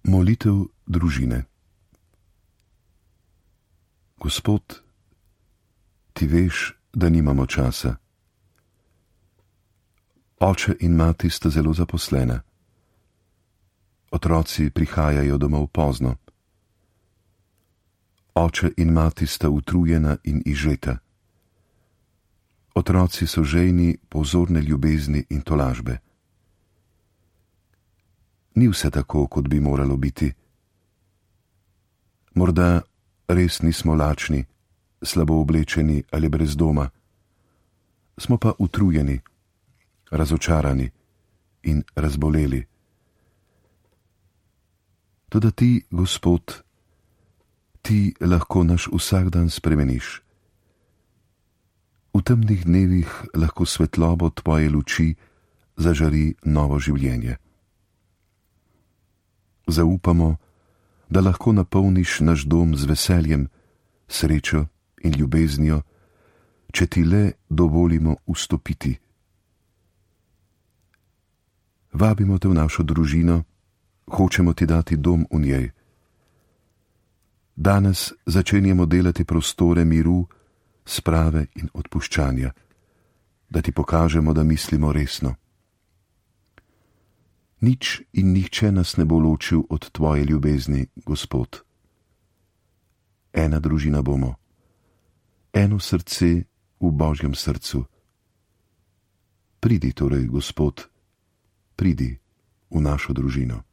Molitev družine. Gospod, ti veš, da nimamo časa. Oče in mati sta zelo zaposlena. Otroci prihajajo domov pozno. Oče in mati sta utrujena in izžeta. Otroci so žejni pozorne ljubezni in tolažbe. Ni vse tako, kot bi moralo biti. Morda res nismo lačni, slabo oblečeni ali brez doma. Smo pa utrujeni, razočarani in razboleli. Toda ti, Gospod, ti lahko naš vsakdan spremeniš. V temnih dnevih lahko svetlobo tvoje luči zažari novo življenje. Zaupamo, da lahko napolniš naš dom z veseljem, srečo in ljubeznijo, če ti le dovolimo vstopiti. Vabimo te v našo družino, hočemo ti dati dom v njej. Danes začenjamo delati prostore miru, sprave in odpuščanja, da ti pokažemo, da mislimo resno. Nič in nihče nas ne bo ločil od tvoje ljubezni, Gospod. Ena družina bomo, eno srce v Božjem srcu. Pridi torej, Gospod, pridi v našo družino.